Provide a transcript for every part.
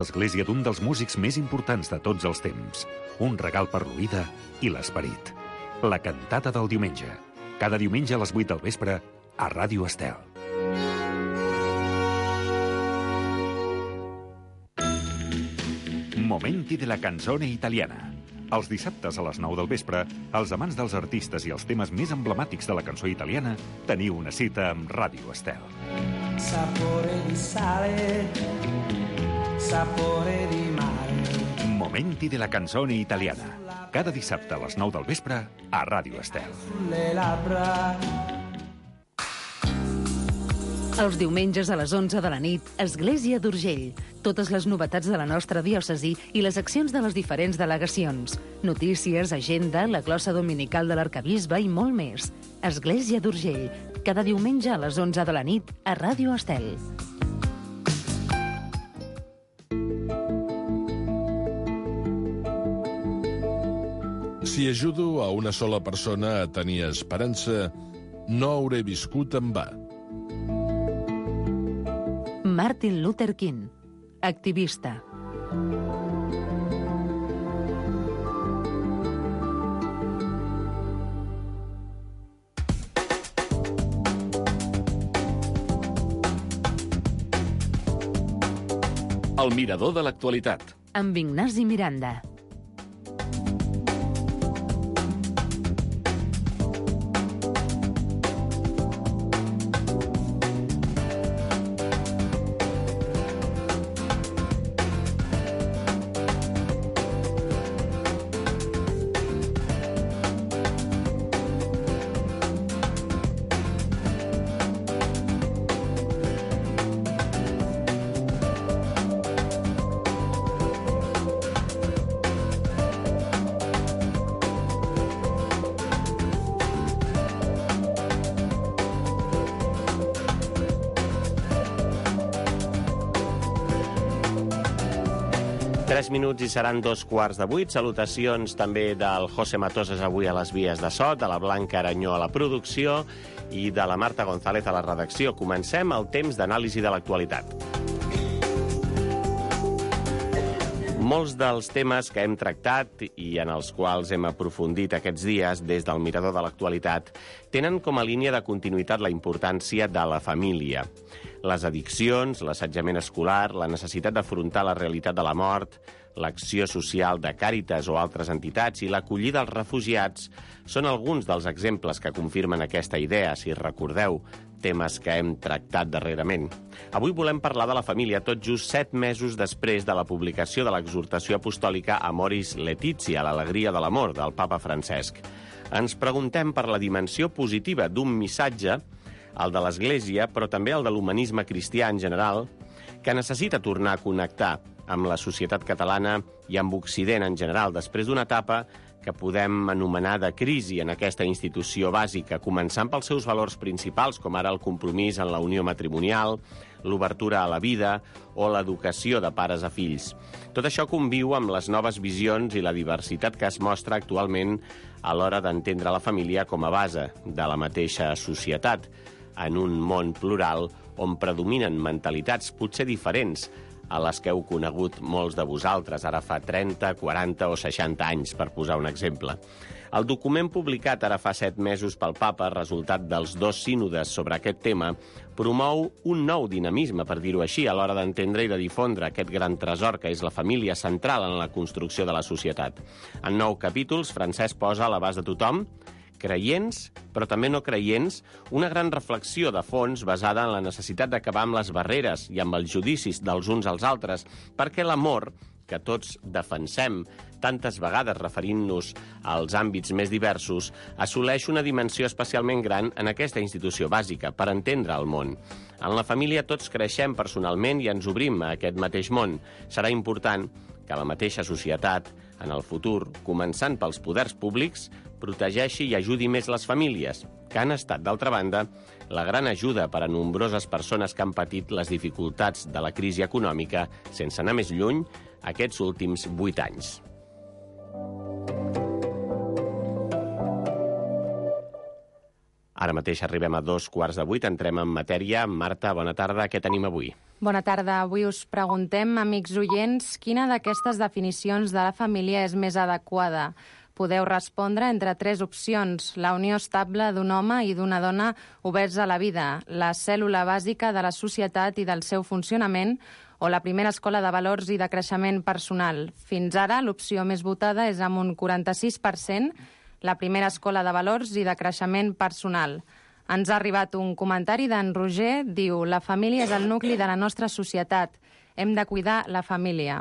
L'església d'un dels músics més importants de tots els temps. Un regal per l'oïda i l'esperit. La cantata del diumenge. Cada diumenge a les 8 del vespre a Ràdio Estel. Momenti de la canzone italiana. Els dissabtes a les 9 del vespre, els amants dels artistes i els temes més emblemàtics de la cançó italiana teniu una cita amb Ràdio Estel. Sapore di sale, sapore di mare. Momenti de la canzone italiana. Cada dissabte a les 9 del vespre a Ràdio Estel. Sulle labbra. Els diumenges a les 11 de la nit, Església d'Urgell. Totes les novetats de la nostra diòcesi i les accions de les diferents delegacions. Notícies, agenda, la glossa dominical de l'arcabisbe i molt més. Església d'Urgell. Cada diumenge a les 11 de la nit a Ràdio Estel. Si ajudo a una sola persona a tenir esperança, no hauré viscut en va. Martin Luther King, activista. El mirador de l'actualitat. Amb Ignasi Miranda. Minuts i seran 2:15. Salutacions també del José Matoses avui a les vies de so, de la Blanca Aranyó a la producció i de la Marta González a la redacció. Comencem el temps d'anàlisi de l'actualitat. Molts dels temes que hem tractat i en els quals hem aprofundit aquests dies des del mirador de l'actualitat tenen com a línia de continuïtat la importància de la família. Les addiccions, l'assetjament escolar, la necessitat d'afrontar la realitat de la mort, l'acció social de Càritas o altres entitats i l'acollida als refugiats són alguns dels exemples que confirmen aquesta idea, si recordeu, temes que hem tractat darrerament. Avui volem parlar de la família tot just 7 mesos després de la publicació de l'exhortació apostòlica Amoris Laetitia, l'alegria de l'amor, del papa Francesc. Ens preguntem per la dimensió positiva d'un missatge, el de l'Església, però també el de l'humanisme cristià en general, que necessita tornar a connectar amb la societat catalana i amb Occident en general, després d'una etapa que podem anomenar de crisi en aquesta institució bàsica, començant pels seus valors principals, com ara el compromís en la unió matrimonial, l'obertura a la vida o l'educació de pares a fills. Tot això conviu amb les noves visions i la diversitat que es mostra actualment a l'hora d'entendre la família com a base de la mateixa societat, en un món plural on predominen mentalitats potser diferents a les que heu conegut molts de vosaltres, ara fa 30, 40 o 60 anys, per posar un exemple. El document publicat ara fa 7 mesos pel papa, resultat dels 2 sínodes sobre aquest tema, promou un nou dinamisme, per dir-ho així, a l'hora d'entendre i de difondre aquest gran tresor que és la família central en la construcció de la societat. En 9 capítols, Francesc posa a l'abast de tothom, creients, però també no creients, una gran reflexió de fons basada en la necessitat d'acabar amb les barreres i amb els judicis dels uns als altres, perquè l'amor, que tots defensem tantes vegades referint-nos als àmbits més diversos, assoleix una dimensió especialment gran en aquesta institució bàsica, per entendre el món. En la família tots creixem personalment i ens obrim a aquest mateix món. Serà important que la mateixa societat, en el futur, començant pels poders públics, protegeixi i ajudi més les famílies, que han estat, d'altra banda, la gran ajuda per a nombroses persones que han patit les dificultats de la crisi econòmica, sense anar més lluny, aquests últims 8 anys. Ara mateix arribem a 7:15, entrem en matèria. Marta, bona tarda, què tenim avui? Bona tarda. Avui us preguntem, amics oients, quina d'aquestes definicions de la família és més adequada? Podeu respondre entre 3 opcions. La unió estable d'un home i d'una dona oberts a la vida, la cèl·lula bàsica de la societat i del seu funcionament, o la primera escola de valors i de creixement personal. Fins ara, l'opció més votada és amb un 46%, la primera escola de valors i de creixement personal. Ens ha arribat un comentari d'en Roger, diu: la família és el nucli de la nostra societat. Hem de cuidar la família.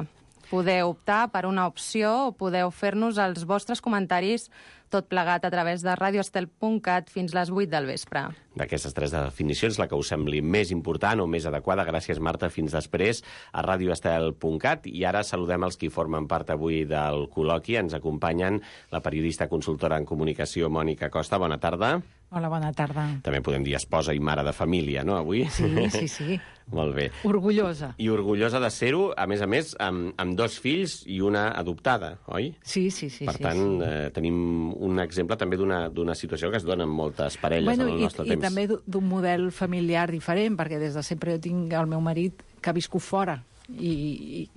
Podeu optar per una opció o podeu fer-nos els vostres comentaris, tot plegat a través de radioestel.cat fins les 8 del vespre. D'aquestes 3 definicions, la que us sembli més important o més adequada, gràcies, Marta, fins després, a radioestel.cat. I ara saludem els qui formen part avui del col·loqui. Ens acompanyen la periodista consultora en comunicació, Mònica Costa. Bona tarda. Hola, bona tarda. També podem dir esposa i mare de família, no, avui? Sí. Molt bé. Orgullosa. I orgullosa de ser-ho, a més, amb 2 fills i una adoptada, oi? Sí. Per tant, tenim un exemple també d'una situació que es dona en moltes parelles en el nostre temps. I també d'un model familiar diferent, perquè des de sempre jo tinc el meu marit que ha viscut fora. I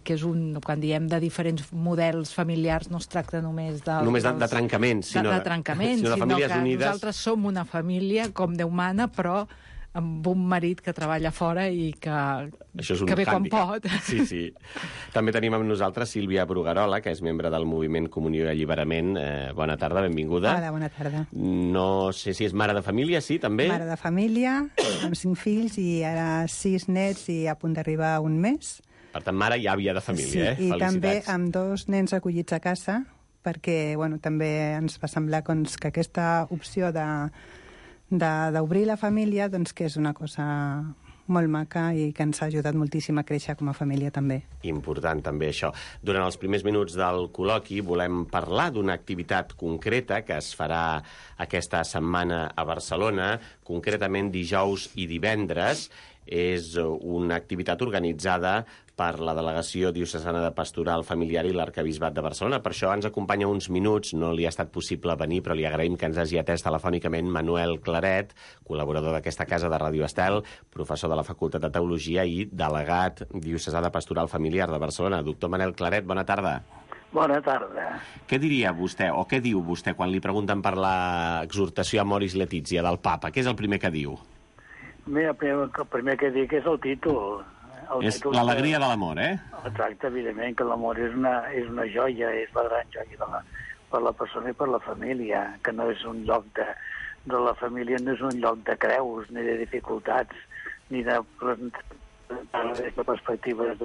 que és quan diem de diferents models familiars no es tracta només de trencaments, sinó de trencaments, sinó que nosaltres som una família com Déu mana, però amb un marit que treballa fora i que ve quan pot. Sí. També tenim amb nosaltres Sílvia Brugarola, que és membre del moviment Comunió i Alliberament. Bona tarda, benvinguda. Hola, bona tarda. No sé si és mare de família, sí, també? Mare de família, amb 5 fills i ara 6 nets i a punt d'arribar un mes. Per tant, mare i àvia de família, Sí, i felicitats. també amb 2 nens acollits a casa, perquè també ens va semblar que aquesta opció d'obrir la família, doncs que és una cosa molt maca i que ens ha ajudat moltíssim a créixer com a família també. Important també això. Durant els primers minuts del col·loqui volem parlar d'una activitat concreta que es farà aquesta setmana a Barcelona, concretament dijous i divendres. És una activitat organitzada per la Delegació Diocesana de Pastoral Familiar i l'Arquebisbat de Barcelona. Per això ens acompanya uns minuts, no li ha estat possible venir, però li agraïm que ens hagi atès telefònicament Manuel Claret, col·laborador d'aquesta casa de Ràdio Estel, professor de la Facultat de Teologia i delegat diocesà de Pastoral Familiar de Barcelona. Doctor Manel Claret, bona tarda. Bona tarda. Què diria vostè, o què diu vostè, quan li pregunten per l'exhortació Amoris Laetitia del papa? Què és el primer que diu? Mira, el primer que dic és el títol. És l'alegria de l'amor, eh? Exacte, evidentment, que l'amor és una joia, és la gran joia per la persona i per la família, que no és un lloc de la família, no és un lloc de creus, ni de dificultats, ni de perspectives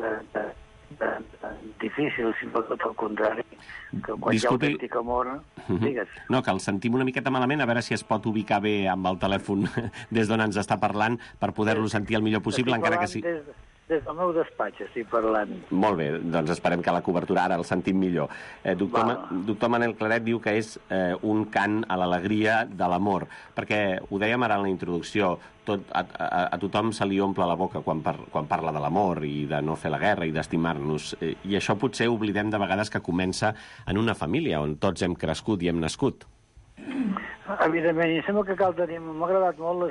difícils, sinó tot el contrari. Que quan hi ha autèntic amor, digues. No, que el sentim una miqueta malament, a veure si es pot ubicar bé amb el telèfon des d'on ens està parlant per poder-lo sentir el millor possible, encara que sí. Des del meu despatx estic parlant. Molt bé, doncs esperem que la cobertura ara el sentim millor. Doctor Manel Claret diu que és un cant a l'alegria de l'amor, perquè ho dèiem ara en la introducció, a tothom se li omple la boca quan parla de l'amor i de no fer la guerra i d'estimar-nos, i això potser oblidem de vegades que comença en una família on tots hem crescut i hem nascut. Evidentment, i sembla que cal tenir... M'ha agradat molt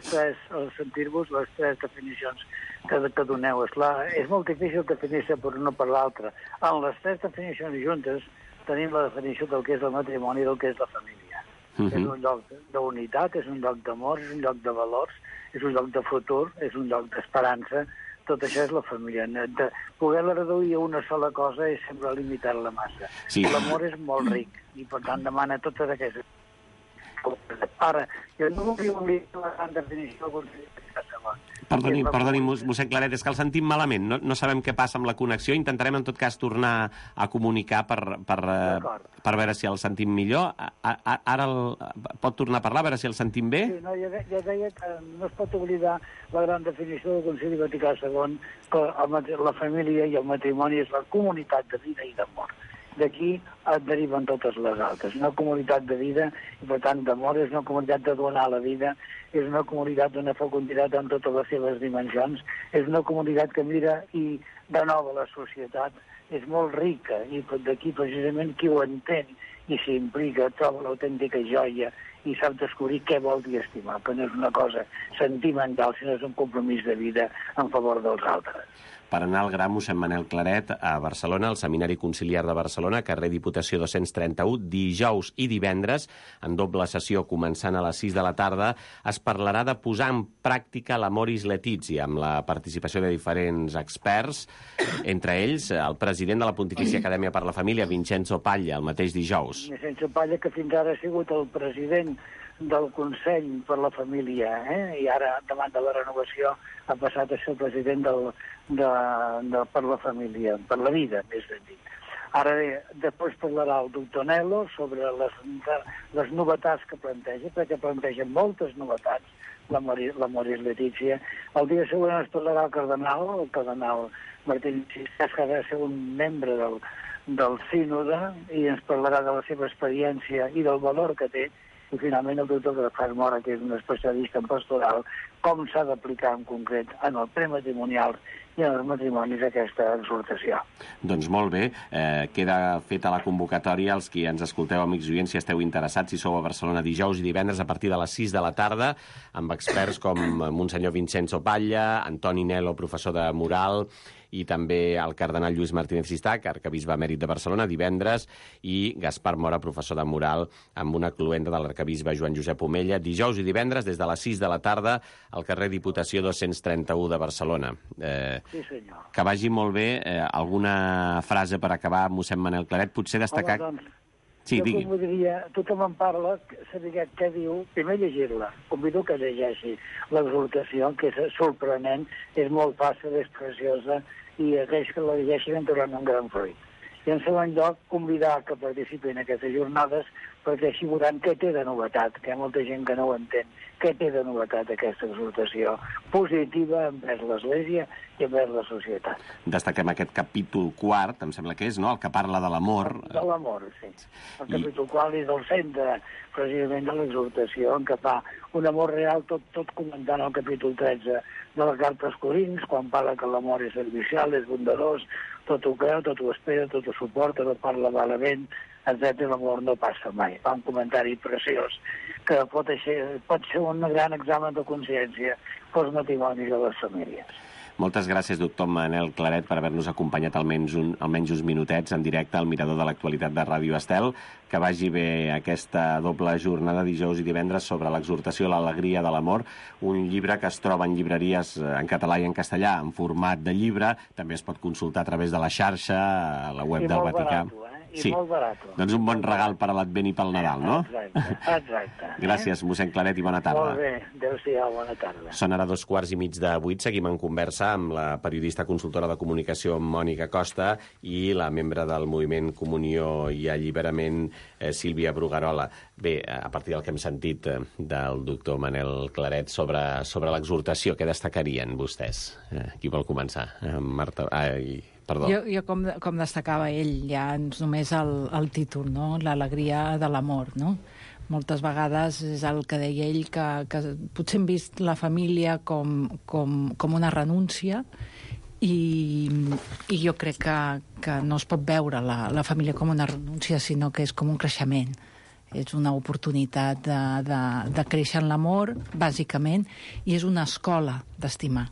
sentir-vos les 3 definicions que doneu. Esclar, és molt difícil definir-se per una per l'altra. En les 3 definicions juntes tenim la definició del que és el matrimoni i del que és la família. És un lloc d'unitat, és un lloc d'amor, és un lloc de valors, és un lloc de futur, és un lloc d'esperança. Tot això és la família. Poder-la reduir a una sola cosa és sempre limitar-la massa. Sí. L'amor és molt ric i, per tant, demana totes aquestes... Ara, jo no volia oblidar la gran definició Perdoni, mossèn Claret, és que el sentim malament. No sabem què passa amb la connexió. Intentarem, en tot cas, tornar a comunicar per veure si el sentim millor. Ara pot tornar a parlar, a veure si el sentim bé? Sí, no, jo deia que no es pot oblidar la gran definició del Concili Vaticà II, que la família i el matrimoni és la comunitat de vida i d'amor. D'aquí et deriven totes les altres. Una comunitat de vida i, per tant, d'amor, és una comunitat de donar la vida, és una comunitat d'una fecunditat en totes les seves dimensions, és una comunitat que mira i de nou a la societat és molt rica, i d'aquí precisament qui ho entén i s'implica troba l'autèntica joia i sap descobrir què vol dir estimar, que no és una cosa sentimental, sinó és un compromís de vida en favor dels altres. Per anar al gra, mossèn Manel Claret, a Barcelona, al Seminari Conciliar de Barcelona, carrer Diputació 231, dijous i divendres, en doble sessió començant a les 6 de la tarda, es parlarà de posar en pràctica l'Amoris Laetitia, amb la participació de diferents experts, entre ells el president de la Pontifícia Acadèmia per la Família, Vincenzo Paglia, el mateix dijous. Vincenzo Paglia, que fins ara ha sigut el president del Consell per la Família, i ara, davant de la renovació, ha passat a ser el president per la família, per la vida, més ben dit. Ara bé, després parlarà el doctor Nello sobre les novetats que planteja, perquè planteja moltes novetats, l'Amoris Laetitia. El dia següent es parlarà el cardenal Martín Siscas, que ha de ser un membre del sínode, i ens parlarà de la seva experiència i del valor que té, i finalment el doctor Gaspar Mora, que és un especialista en pastoral, com s'ha d'aplicar en concret en el prematrimonial i en els matrimonis aquesta exhortació. Doncs molt bé, queda feta la convocatòria. Els qui ens escolteu, amics oients, si esteu interessats, si sou a Barcelona dijous i divendres a partir de les 6 de la tarda, amb experts com Monsenyor Vincenzo Paglia, Antoni Nello, professor de moral, i també el cardenal Lluís Martínez Sistac, arcabisbe emèrit de Barcelona, divendres, i Gaspar Mora, professor de moral, amb una cluenda de l'arcabisbe Joan Josep Omella, dijous i divendres, des de les 6 de la tarda, al carrer Diputació 231 de Barcelona. Sí, senyor. Que vagi molt bé. Alguna frase per acabar, mossèn Manel Claret? Potser destacar... Home, doncs, sí, digui. Jo voldria, tothom en parla, saber què diu, primer llegir-la. Convido que llegeixi l'exhortació, que és sorprenent, és molt fàcil, és preciosa, i aquells que la llegeixin en trobaran un gran fruit. I en segon lloc, convidar que participin en aquestes jornades, perquè així veuran què té de novetat, que hi ha molta gent que no ho entén, què té de novetat aquesta exhortació positiva envers l'Església i envers la societat. Destaquem aquest capítol quart, em sembla que és, no?, el que parla de l'amor. De l'amor, sí. El capítol quart és el centre, precisament, de l'exhortació, en què fa un amor real, tot comentant el capítol 13 de la carta als Corins, quan parla que l'amor és servicial, és bondadós, tot ho creu, tot ho espera, tot ho suporta, no parla malament, etc. L'amor no passa mai. Fa un comentari preciós que pot ser un gran examen de consciència pels matrimonis de les famílies. Moltes gràcies, doctor Manel Claret, per haver-nos acompanyat almenys uns minutets en directe al Mirador de l'Actualitat de Ràdio Estel. Que vagi bé aquesta doble jornada dijous i divendres sobre l'exhortació a l'alegria de l'amor, un llibre que es troba en llibreries en català i en castellà en format de llibre. També es pot consultar a través de la xarxa, a la web del Vaticà. I molt barat. Doncs un bon regal per a l'Advent i pel Nadal, no? Exacte. Gràcies, mossèn Claret, i bona tarda. Molt bé, adéu-siau, bona tarda. Són ara 7:15. Seguim en conversa amb la periodista consultora de comunicació Mònica Costa i la membre del moviment Comunió i Alliberament, Sílvia Brugarola. Bé, a partir del que hem sentit del doctor Manel Claret sobre l'exhortació, què destacarien vostès? Qui vol començar? Marta... Perdó. Jo com destacava ell, ja només el títol, no? L'alegria de l'amor, no? Moltes vegades és el que deia ell, que potser hem vist la família com una renúncia, i jo crec que no es pot veure la família com una renúncia, sinó que és com un creixement. És una oportunitat de créixer en l'amor, bàsicament, i és una escola d'estimar.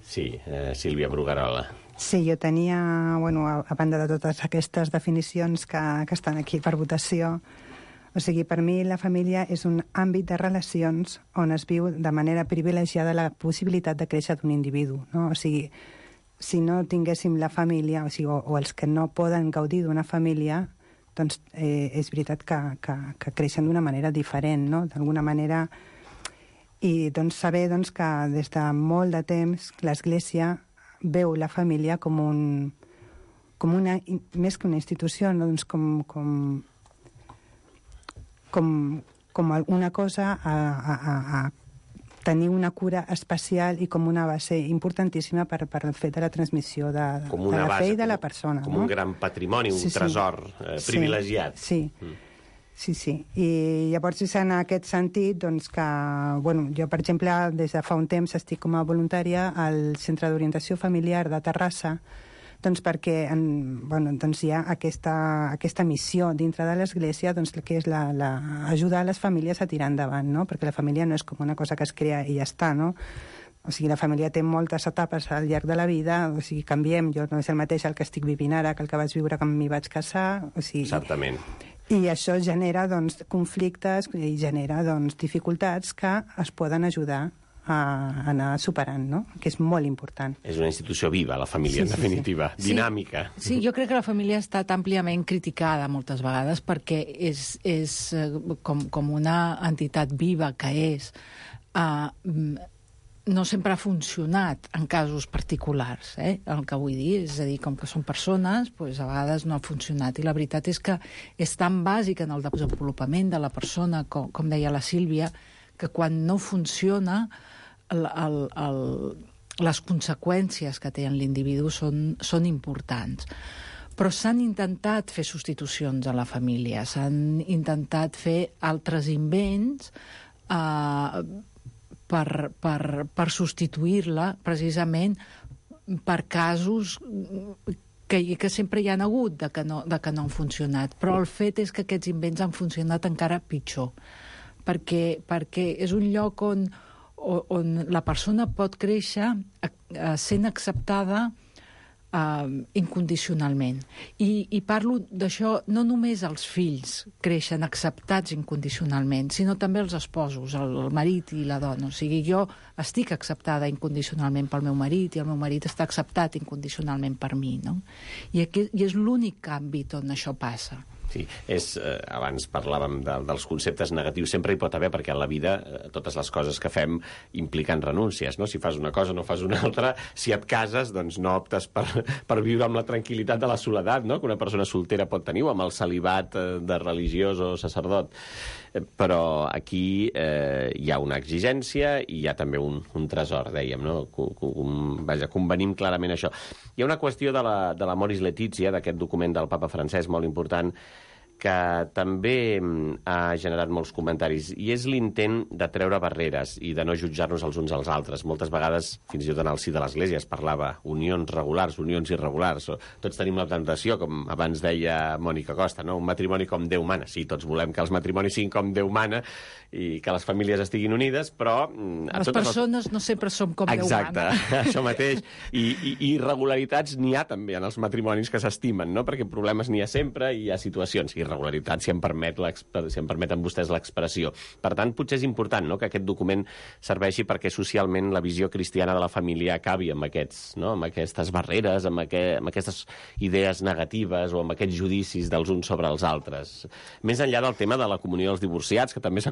Sí, Sílvia Brugarola. Sí, jo tenia, a banda de totes aquestes definicions que estan aquí per votació, o sigui, per mi la família és un àmbit de relacions on es viu de manera privilegiada la possibilitat de créixer d'un individu, no? O sigui, si no tinguéssim la família, o els que no poden gaudir d'una família, doncs és veritat que creixen d'una manera diferent, no? D'alguna manera. I doncs saber que des de molt de temps l'Església veu la família com una, més que una institució, no? Doncs com una cosa a tenir una cura especial i com una base importantíssima per el fet de la transmissió de la fe i de la persona. Com un gran patrimoni, un tresor privilegiat. Sí. Sí, sí. I llavors és en aquest sentit doncs, que, bueno, jo, per exemple, des de fa un temps estic com a voluntària al Centre d'Orientació Familiar de Terrassa, doncs perquè doncs hi ha aquesta missió dintre de l'Església, doncs, que és ajudar les famílies a tirar endavant, no? Perquè la família no és com una cosa que es crea i ja està, no? O sigui, la família té moltes etapes al llarg de la vida, o sigui, canviem, jo no és el mateix el que estic vivint ara que el que vaig viure quan m'hi vaig casar, o sigui... Certament. I això genera, doncs, conflictes i genera, doncs, dificultats que es poden ajudar a anar superant, no? Que és molt important. És una institució viva, la família, en definitiva, dinàmica. Sí, jo crec que la família ha estat àmpliament criticada moltes vegades perquè és com una entitat viva que és... no sempre ha funcionat en casos particulars, el que vull dir. És a dir, com que són persones, doncs a vegades no ha funcionat. I la veritat és que és tan bàsic en el desenvolupament de la persona, com deia la Sílvia, que quan no funciona, les conseqüències que té en l'individu són importants. Però s'han intentat fer substitucions a la família, s'han intentat fer altres invents per substituir-la, precisament per casos que sempre hi ha hagut de que no han funcionat. Però el fet és que aquests invents han funcionat encara pitjor, perquè és un lloc on la persona pot créixer sent acceptada incondicionalment. I parlo d'això, no només els fills creixen acceptats incondicionalment, sinó també els esposos, el marit i la dona. O sigui, jo estic acceptada incondicionalment pel meu marit i el meu marit està acceptat incondicionalment per mi, no? I és l'únic àmbit on això passa. Sí, abans parlàvem dels conceptes negatius, sempre hi pot haver, perquè en la vida totes les coses que fem impliquen renúncies, no? Si fas una cosa no fas una altra, si et cases doncs no optes per viure amb la tranquil·litat de la soledat, no? Que una persona soltera pot tenir, o amb el celibat de religiós o sacerdot. Però aquí hi ha una exigència i hi ha també un tresor, dèiem, no? Vaja, convenim clarament això. Hi ha una qüestió de la Moris Letizia, d'aquest document del papa francès molt important, que també ha generat molts comentaris, i és l'intent de treure barreres i de no jutjar-nos els uns als altres. Moltes vegades, fins i tot en el si de l'Església, es parlava unions regulars, unions irregulars. Tots tenim la tentació, com abans deia Mònica Costa, no? Un matrimoni com Déu mana. Sí, tots volem que els matrimonis siguin com Déu mana i que les famílies estiguin unides, però... Les persones no sempre som com Déu mana. Exacte, això mateix. I irregularitats n'hi ha també en els matrimonis que s'estimen, no? Perquè problemes n'hi ha sempre i hi ha situacions. Irregularitats, si em permeten vostès l'expressió. Per tant, potser és important, no?, que aquest document serveixi perquè socialment la visió cristiana de la família acabi amb aquestes barreres, amb aquestes idees negatives o amb aquests judicis dels uns sobre els altres. Més enllà del tema de la comunió dels divorciats, que també s'ha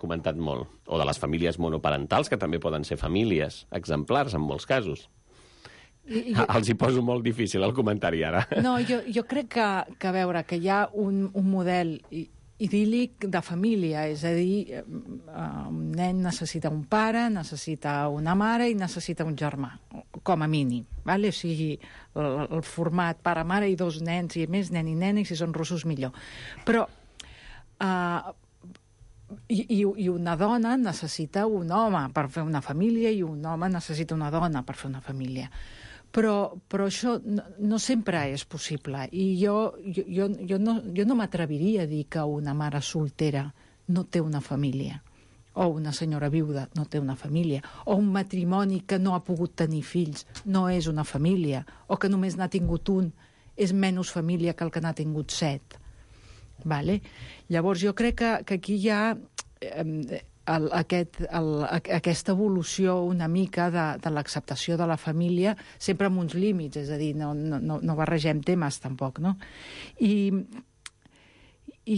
comentat molt, o de les famílies monoparentals, que també poden ser famílies exemplars en molts casos. Els hi poso molt difícil el comentari ara. No, jo crec que a veure, que hi ha un model idíl·lic de família, és a dir, un nen necessita un pare, necessita una mare i necessita un germà, com a mínim. O sigui, el format pare-mare i dos nens, i més nen i nena, i si són rossos millor. Però i una dona necessita un home per fer una família i un home necessita una dona per fer una família. Però això no sempre és possible. I jo no m'atreviria a dir que una mare soltera no té una família, o una senyora viuda no té una família, o un matrimoni que no ha pogut tenir fills no és una família, o que només n'ha tingut un és menys família que el que n'ha tingut 7. Llavors jo crec que aquí hi ha aquesta evolució una mica de l'acceptació de la família, sempre amb uns límits, és a dir, no barregem temes tampoc, no? I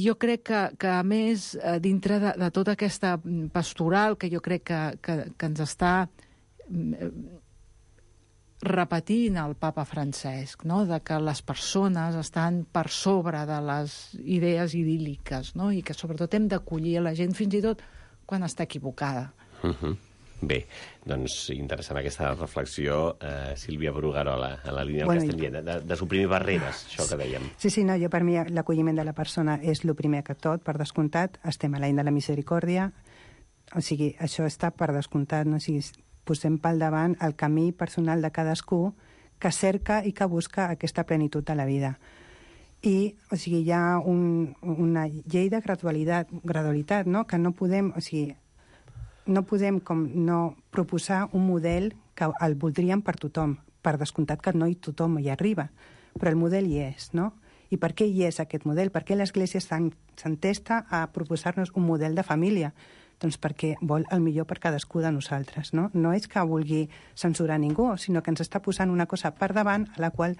jo crec que a més, dintre de tota aquesta pastoral que jo crec que ens està repetint el papa Francesc, no?, de que les persones estan per sobre de les idees idíl·liques, no?, i que sobretot hem d'acollir a la gent fins i tot quan està equivocada. Bé, doncs interessant aquesta reflexió, Sílvia Bruguerola, en la línia del que estem dient, de suprimir barreres, això que dèiem. Sí, no, jo per mi l'acolliment de la persona és el primer que tot, per descomptat, estem a l'any de la misericòrdia, o sigui, això està per descomptat, no? O sigui, posem pel davant el camí personal de cadascú que cerca i que busca aquesta plenitud de la vida. I, o sigui, hi ha una llei de gradualitat, no? Que no podem, o sigui, no podem com no proposar un model que el voldríem per tothom. Per descomptat que no tothom hi arriba, però el model hi és, no? I per què hi és aquest model? Per què l'Església s'entesta a proposar-nos un model de família? Doncs perquè vol el millor per cadascú de nosaltres, no? No és que vulgui censurar ningú, sinó que ens està posant una cosa per davant a la qual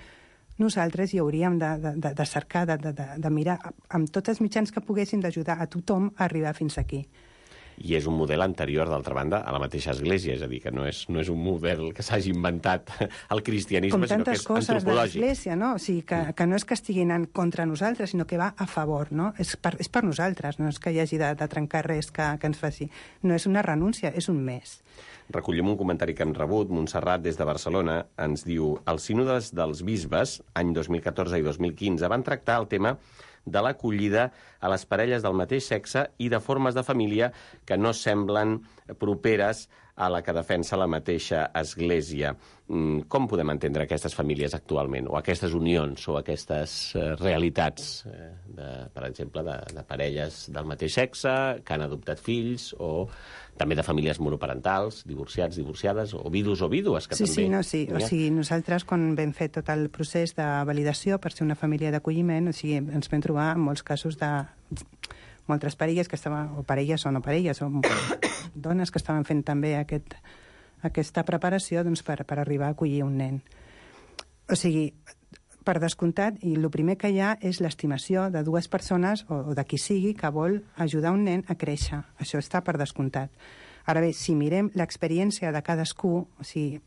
nosaltres hi hauríem de cercar, de mirar amb tots els mitjans que poguessin d'ajudar a tothom a arribar fins aquí. I és un model anterior, d'altra banda, a la mateixa Església, és a dir, que no és un model que s'hagi inventat el cristianisme, sinó que és antropològic. Com tantes coses de l'Església, no? O sigui, que no és que estiguin en contra nosaltres, sinó que va a favor, no? És per nosaltres, no és que hi hagi de trencar res que ens faci. No és una renúncia, és un més. Recollim un comentari que hem rebut. Montserrat, des de Barcelona, ens diu: els sínodes dels bisbes, any 2014 i 2015, van tractar el tema de l'acollida a les parelles del mateix sexe i de formes de família que no semblen properes a la que defensa la mateixa Església. Com podem entendre aquestes famílies actualment, o aquestes unions, o aquestes realitats, per exemple, de parelles del mateix sexe que han adoptat fills, o també de famílies monoparentals, divorciats, divorciades, o vidus o vídues, que també... Sí. O sigui, nosaltres, quan vam fer tot el procés de validació per ser una família d'acolliment, o sigui, ens vam trobar en molts casos de moltes parelles que estaven, o parelles o no parelles, o dones que estaven fent també aquesta preparació doncs, per arribar a acollir un nen. O sigui, per descomptat, i el primer que hi ha és l'estimació de dues persones, o de qui sigui, que vol ajudar un nen a créixer. Això està per descomptat. Ara bé, si mirem l'experiència de cadascú, o sigui,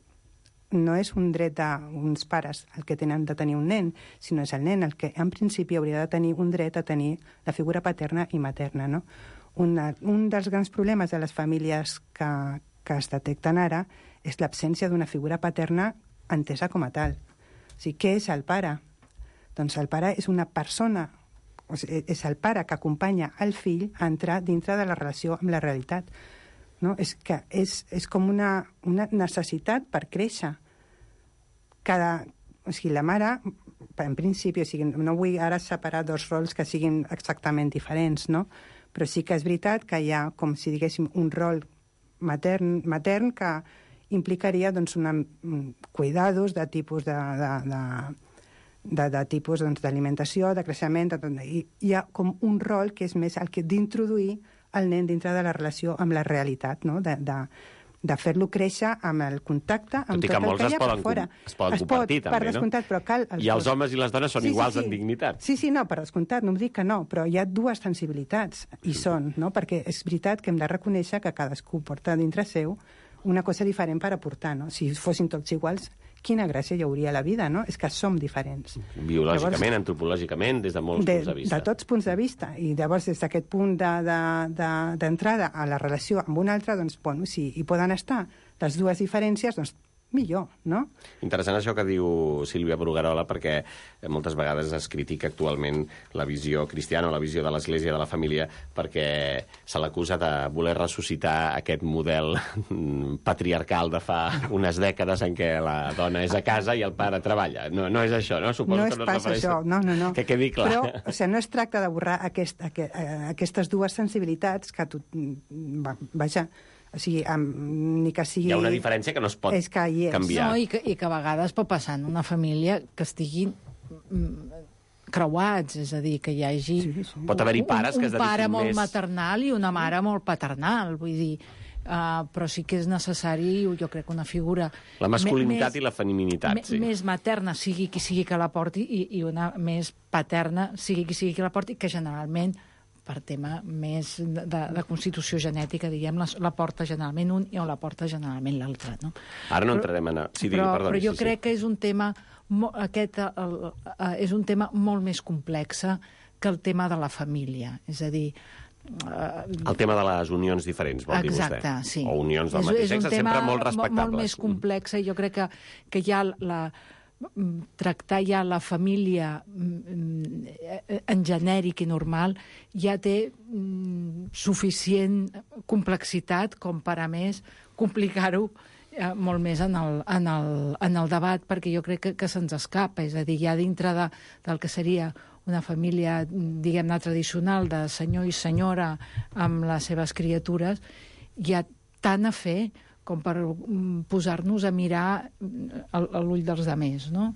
no és un dret d'uns pares el que tenen de tenir un nen, sinó és el nen el que en principi hauria de tenir un dret a tenir la figura paterna i materna, no? Un dels grans problemes de les famílies que es detecten ara és l'absència d'una figura paterna entesa com a tal. O sigui, què és el pare? Doncs el pare és una persona, o sigui, és el pare que acompanya el fill a entrar dintre de la relació amb la realitat. No? És que és com una necessitat per créixer. O sigui, la mare, en principi, o sigui, no vull ara separar dos rols que siguin exactament diferents, no? Però sí que és veritat que hi ha, com si diguéssim, un rol matern que implicaria doncs, cuidados de tipus de tipus d'alimentació, de creixement, i hi ha com un rol que és més el que d'introduir el nen dintre de la relació amb la realitat, no? De fer-lo créixer amb el contacte, amb tot el que hi ha per fora. Es poden compartir, també, per descomptat, però cal... I els homes i les dones són iguals en dignitat. Sí, no, per descomptat, no em dic que no, però hi ha dues sensibilitats, i són, no? Perquè és veritat que hem de reconèixer que cadascú porta dintre seu una cosa diferent per aportar, no? Si fossin tots iguals, quina gràcia hi hauria a la vida, no? És que som diferents. Biològicament, llavors, antropològicament, des de molts punts de vista. De tots punts de vista. I llavors, des d'aquest punt d'entrada a la relació amb un altre, doncs, bueno, si hi poden estar les dues diferències, doncs, millor, no? Interessant això que diu Sílvia Bruguerola, perquè moltes vegades es critica actualment la visió cristiana o la visió de l'Església de la família, perquè se l'acusa de voler ressuscitar aquest model patriarcal de fa unes dècades en què la dona és a casa i el pare treballa. No és això, no? Suposo que no passa això, no. Que quedi clar. Però, o sigui, no es tracta de borrar aquestes dues sensibilitats que vaja, o sigui, ni que sigui... Hi ha una diferència que no es pot canviar. No, i que a vegades pot passar en una família que estiguin creuats, és a dir, que hi hagi... Pot haver-hi pares que es dediquin més... Un pare molt maternal i una mare molt paternal, vull dir... però sí que és necessari, jo crec, una figura... La masculinitat i la feminitat, sí. Més materna, sigui qui sigui que la porti, i una més paterna, sigui qui sigui que la porti, que generalment, per tema més de constitució genètica, diguem, la porta generalment un i la porta generalment l'altre, no? Ara no entrarem en... Però jo crec que és un tema... és un tema molt més complex que el tema de la família. És a dir, El tema de les unions diferents, vol dir vostè? Exacte, sí. O unions del mateix sexe, sempre molt respectables. Molt més complex, i jo crec que ja tractar ja la família en genèric i normal ja té suficient complexitat com per, a més, complicar-ho molt més en el debat, perquè jo crec que se'ns escapa. És a dir, ja dintre del que seria una família, diguem-ne, tradicional de senyor i senyora amb les seves criatures, hi ha tant a fer com per posar-nos a mirar l'ull dels demés, no?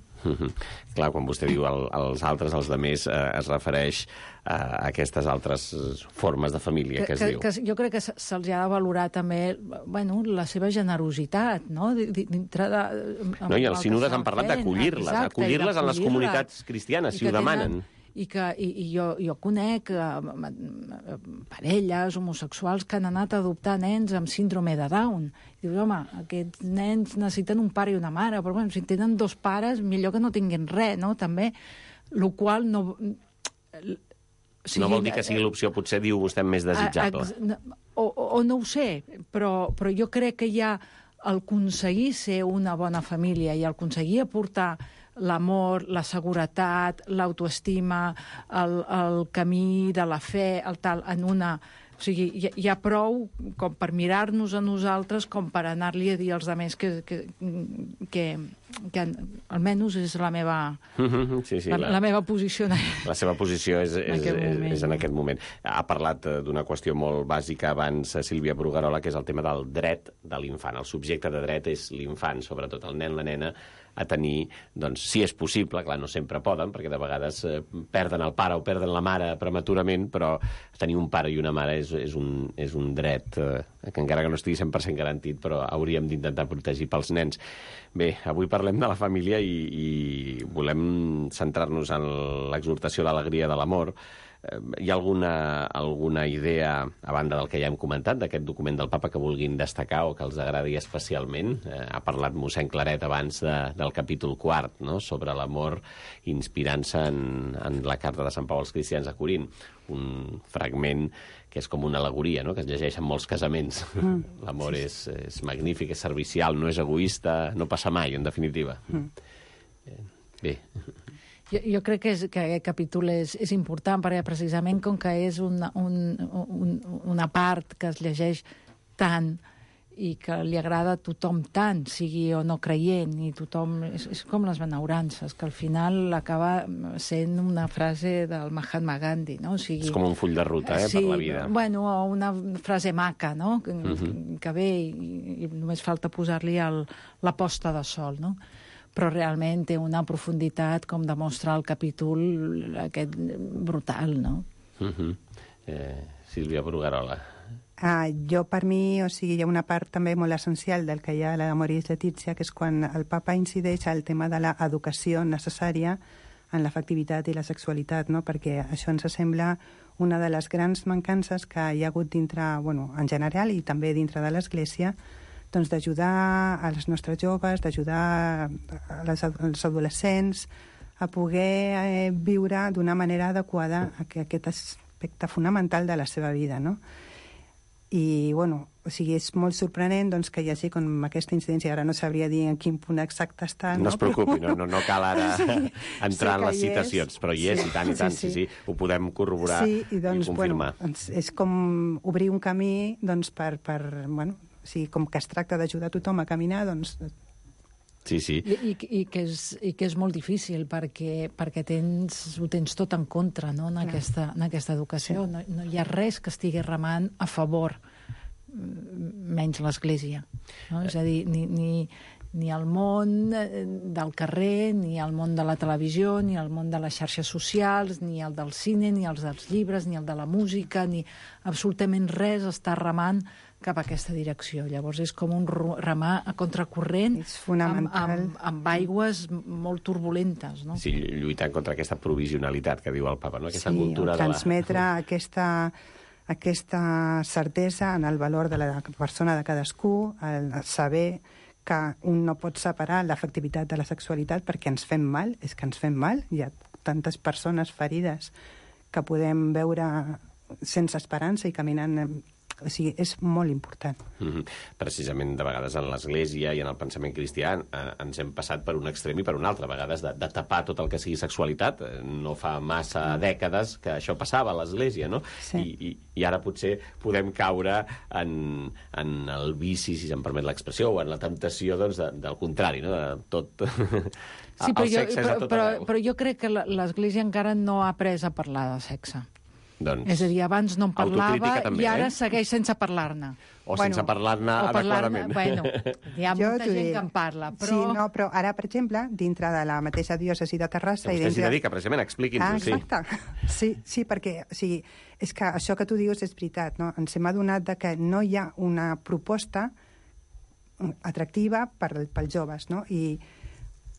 Clar, quan vostè diu els altres, els demés, es refereix a aquestes altres formes de família que es diu. Jo crec que se'ls ha de valorar també la seva generositat, no? No, i els sínodes han parlat d'acollir-les en les comunitats cristianes, si ho demanen. I jo conec parelles homosexuals que han anat a adoptar nens amb síndrome de Down. Dius, home, aquests nens necessiten un pare i una mare, però si tenen dos pares, millor que no tinguin res, no? També, el qual no... No vol dir que sigui l'opció, potser diu vostè, més desitjable. O no ho sé, però jo crec que ja el aconseguir ser una bona família i el aconseguir aportar l'amor, la seguretat, l'autoestima, el camí de la fe, el tal, en una... O sigui, hi ha prou com per mirar-nos a nosaltres com per anar-li a dir als altres que almenys és la meva, la meva posició. La seva posició és en aquest moment. Ha parlat d'una qüestió molt bàsica abans, Sílvia Bruguerola, que és el tema del dret de l'infant. El subjecte de dret és l'infant, sobretot el nen, la nena, a tenir, doncs, si és possible, clar, no sempre poden, perquè de vegades perden el pare o perden la mare prematurament, però tenir un pare i una mare és un dret que encara que no estigui 100% garantit, però hauríem d'intentar protegir pels nens. Bé, avui parlem de la família i volem centrar-nos en l'exhortació a l'alegria de l'amor. Hi ha alguna idea, a banda del que ja hem comentat, d'aquest document del papa que vulguin destacar o que els agradi especialment? Ha parlat mossèn Claret abans del capítol 4, no?, sobre l'amor, inspirant-se en la carta de Sant Pau als cristians a Corint, un fragment que és com una al·legoria, no?, que es llegeix en molts casaments. L'amor és magnífic, és servicial, no és egoista, no passa mai, en definitiva. Bé... Jo crec que aquest capítol és important, perquè precisament com que és una part que es llegeix tant i que li agrada a tothom tant, sigui o no creient, i tothom... És com les benaurances, que al final acaba sent una frase del Mahatma Gandhi, no? O sigui, és com un full de ruta, per la vida. Bueno, o una frase maca, no?, que ve i només falta posar-li la posta de sol, no? Però realment té una profunditat, com demostra el capítol aquest brutal, no? Sílvia Bruguerola. Jo, per mi, o sigui, hi ha una part també molt essencial del que hi ha a l'Amoris Laetitia, que és quan el papa incideix al tema de l'educació necessària en l'afectivitat i la sexualitat, no? Perquè això ens sembla una de les grans mancances que hi ha hagut dintre, en general, i també dintre de l'Església, doncs d'ajudar als nostres joves, d'ajudar als adolescents a poder viure d'una manera adequada aquest aspecte fonamental de la seva vida, no? I, o sigui, és molt sorprenent doncs, que hi hagi com aquesta incidència. Ara no sabria dir en quin punt exacte està. No es preocupi, no cal ara entrar en les citacions, però hi és, i tant, sí, ho podem corroborar i confirmar. És com obrir un camí doncs, per sí, com que es tracta d'ajudar tothom a caminar, doncs... Sí. I que és molt difícil, perquè ho tens tot en contra, no?, en aquesta educació. Sí. No hi ha res que estigui remant a favor, menys l'Església. No? És a dir, ni el món del carrer, ni el món de la televisió, ni el món de les xarxes socials, ni el del cine, ni els dels llibres, ni el de la música, ni absolutament res està remant cap a aquesta direcció. Llavors és com un remar a contracorrent amb aigües molt turbulentes, no? Sí, lluitant contra aquesta provisionalitat que diu el papa, no? Aquesta cultura transmetre aquesta certesa en el valor de la persona de cadascú, el saber que un no pot separar l'afectivitat de la sexualitat perquè ens fem mal, és que ens fem mal. Hi ha tantes persones ferides que podem veure sense esperança i caminant... O sigui, és molt important. Precisament, de vegades, en l'Església i en el pensament cristià ens hem passat per un extrem i per un altre. A vegades, de tapar tot el que sigui sexualitat. No fa massa dècades que això passava a l'Església, no? Sí. I ara potser podem caure en el vici, si se'm permet l'expressió, o en la temptació, doncs, del contrari, no? De tot... Sí, però jo crec que l'Església encara no ha après a parlar de sexe. Doncs, és a dir, abans no en parlava també, i ara segueix sense parlar-ne. O sense parlar-ne adequadament. Bueno, hi ha molta gent que en parla, però... Sí, no, però ara, per exemple, dintre de la mateixa diòcesi de Terrassa... Que vostè s'hi dedica, precisament, expliqui'ns-ho, sí. Exacte. Sí, perquè és que això que tu dius és veritat, no? Ens hem adonat que no hi ha una proposta atractiva pels joves, no?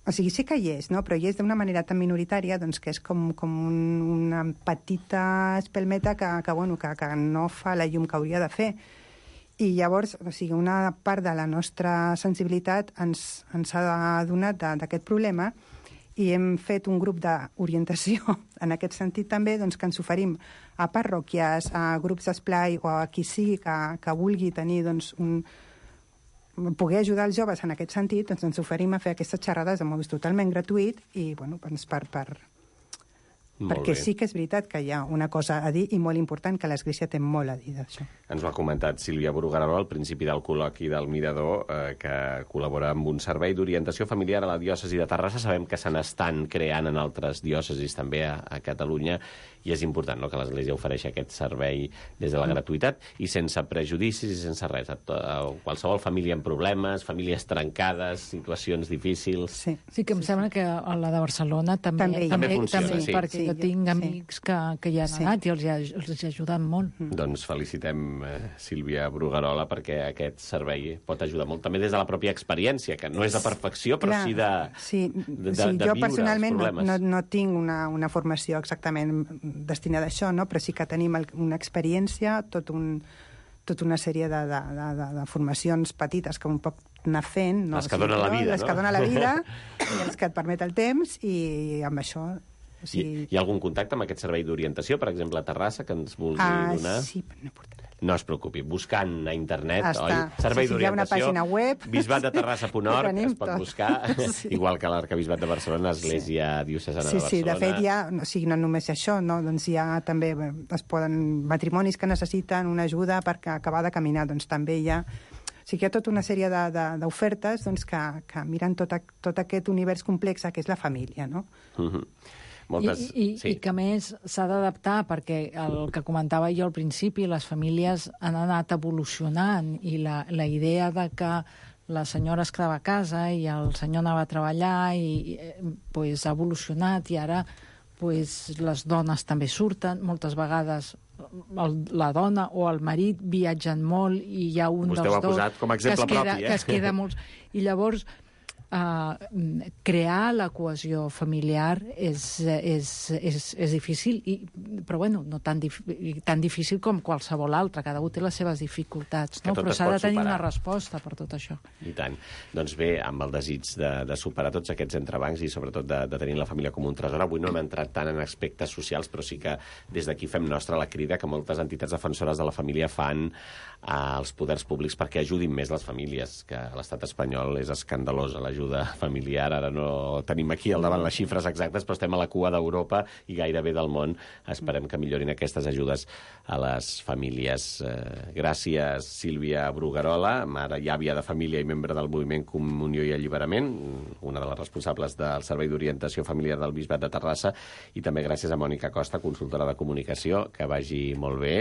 O sigui, sí que hi és, no? Però hi és d'una manera tan minoritària doncs, que és com una petita espelmeta que no fa la llum que hauria de fer. I llavors, o sigui, una part de la nostra sensibilitat ens ha adonat d'aquest problema i hem fet un grup d'orientació en aquest sentit també, doncs, que ens oferim a parròquies, a grups d'esplai o a qui sigui que vulgui tenir doncs, poder ajudar els joves en aquest sentit, doncs ens oferim a fer aquestes xerrades de mòbil totalment gratuït i, bueno, doncs perquè sí que és veritat que hi ha una cosa a dir i molt important, que l'Església té molt a dir d'això. Ens ho ha comentat Sílvia Bruguerol al principi del col·loqui del Mirador, que col·labora amb un servei d'orientació familiar a la diòcesi de Terrassa. Sabem que se n'estan creant en altres diòcesis també a Catalunya, i és important, no?, que l'Església ofereixi aquest servei des de la gratuïtat i sense prejudicis i sense res. A qualsevol família amb problemes, famílies trencades, situacions difícils... Sí, que em sembla que a la de Barcelona també funciona, sí. Perquè jo tinc amics que hi han anat i els ha ajudat molt. Doncs felicitem Sílvia Bruguerola, perquè aquest servei pot ajudar molt. També des de la pròpia experiència, que no és de perfecció, però sí de viure els problemes. Jo personalment no tinc una formació exactament destinada a això, no? Però sí que tenim una experiència, tota una sèrie de formacions petites que un pot anar fent. Les que donen la vida, les que donen la vida i els que et permet el temps, i amb això... Hi ha algun contacte amb aquest servei d'orientació, per exemple, a Terrassa, que ens vulgui donar? Sí, però no portarà. No es preocupi, buscant a internet, servei d'orientació, hi ha una pàgina web, bisbatdeterrassa.org, es pot buscar, igual que l'Arquebisbat de Barcelona, Església Diocesana de Barcelona. Sí, de fet hi ha, no només això, no? Doncs hi ha també, matrimonis que necessiten una ajuda per acabar de caminar, doncs també hi ha... O sigui, hi ha tota una sèrie d'ofertes doncs, que miren tot aquest univers complex que és la família, no? I que, a més, s'ha d'adaptar, perquè el que comentava jo al principi, les famílies han anat evolucionant, i la idea de que la senyora es quedava a casa i el senyor anava a treballar i ha evolucionat, i ara les dones també surten. Moltes vegades la dona o el marit viatgen molt i hi ha un dels dos que es queda molt... I llavors... crear la cohesió familiar és difícil, però bueno, no tan difícil com qualsevol altra. Cada un té les seves dificultats, no? Però s'ha de tenir una resposta per tot això. I tant. Doncs bé, amb el desig de superar tots aquests entrebancs i sobretot de tenir la família com un tresor, avui no hem entrat tant en aspectes socials, però sí que des d'aquí fem nostra la crida que moltes entitats defensores de la família fan als poders públics perquè ajudin més les famílies, que a l'estat espanyol és escandalosa l'ajuda familiar. Ara no tenim aquí al davant les xifres exactes, però estem a la cua d'Europa i gairebé del món. Esperem que millorin aquestes ajudes a les famílies. Gràcies, Sílvia Bruguerola, mare i àvia de família i membre del moviment Comunió i Alliberament, una de les responsables del Servei d'Orientació Familiar del Bisbat de Terrassa, i també gràcies a Mònica Costa, consultora de comunicació. Que vagi molt bé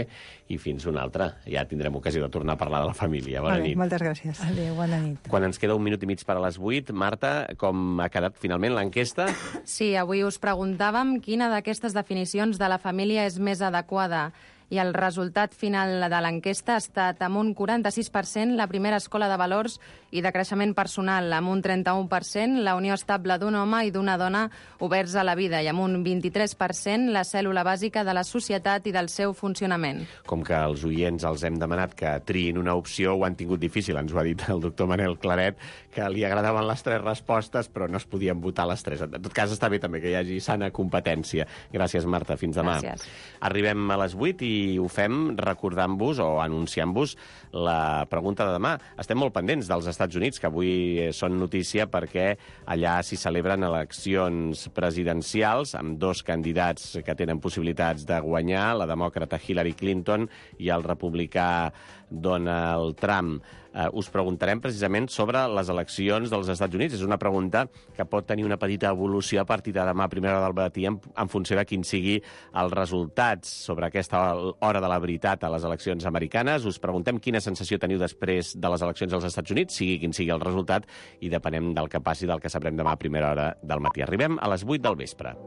i fins una altra. Ja tindrem ocasió de tornar a parlar de la família. Bona nit. Moltes gràcies. Adéu, bona nit. Quan ens queda un minut i mig per a les 8, Marta, com ha quedat finalment l'enquesta? Sí, avui us preguntàvem quina d'aquestes definicions de la família és més adequada. I el resultat final de l'enquesta ha estat amb un 46% la primera escola de valors i de creixement personal, amb un 31% la unió estable d'un home i d'una dona oberts a la vida, i amb un 23% la cèl·lula bàsica de la societat i del seu funcionament. Com que els oients els hem demanat que triïn una opció, ho han tingut difícil. Ens ho ha dit el doctor Manel Claret, que li agradaven les 3 respostes, però no es podien votar les 3. En tot cas, està bé també que hi hagi sana competència. Gràcies, Marta. Fins demà. Gràcies. Arribem a les 8 i i ho fem recordant-vos o anunciant-vos la pregunta de demà. Estem molt pendents dels Estats Units, que avui són notícia perquè allà s'hi celebren eleccions presidencials amb 2 candidats que tenen possibilitats de guanyar, la demòcrata Hillary Clinton i el republicà Donald Trump. Us preguntarem precisament sobre les eleccions dels Estats Units. És una pregunta que pot tenir una petita evolució a partir de demà a primera hora del matí en funció de quin sigui els resultats sobre aquesta hora de la veritat a les eleccions americanes. Us preguntem quina sensació teniu després de les eleccions als Estats Units, sigui quin sigui el resultat, i depenem del que passi, del que sabrem demà a primera hora del matí. Arribem a les 8 del vespre.